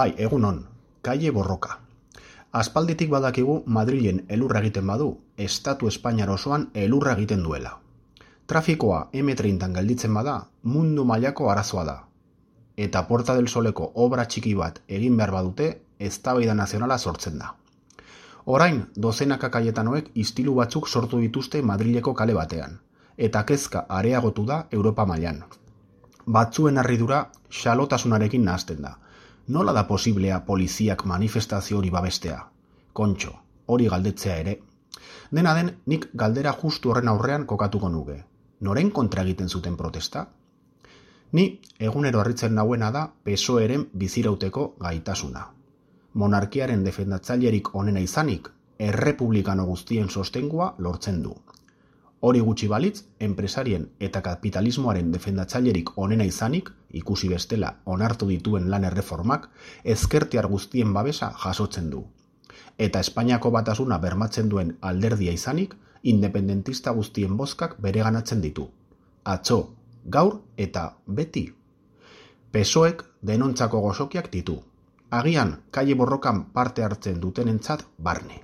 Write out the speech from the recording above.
Bai, egunon, Kaie Borroka. Aspalditik badakigu Madrilen elurra egiten badu, Estatu Espainiar osoan elurra egiten duela. Trafikoa M30 gelditzen bada, mundu mailako arazoa da. Eta Puerta del Soleko obra txiki bat egin behar badute, eztabaida nazionala sortzen da. Orain, dozenaka kaietanoek istilu batzuk sortu dituzte Madrileko kale batean, eta kezka areagotu da Europa mailan. Batzuen harridura xalotasunarekin nahasten da. Nola da posiblea poliziak manifestazio hori babestea? Kontxo, hori galdetzea ere. Dena den, nik galdera justu horren aurrean kokatuko nuke. Noren kontra egiten zuten protesta? Ni egunero harritzen nauena da PSOEren bizirauteko gaitasuna. Monarkiaren defendatzailerik onena izanik, errepublikano guztien sostengua lortzen du. Hori gutxi balitz, enpresarien eta kapitalismoaren defendatzailerik onena izanik, ikusi bestela onartu dituen lan erreformak, ezkertiar guztien babesa jasotzen du. Eta Espainiako batasuna bermatzen duen alderdia izanik, independentista guztien bozkak bereganatzen ditu. Atzo, gaur eta beti. PSOEk denontzako gozokiak ditu. Agian, Kaie Borrokan parte hartzen dutenentzat barne.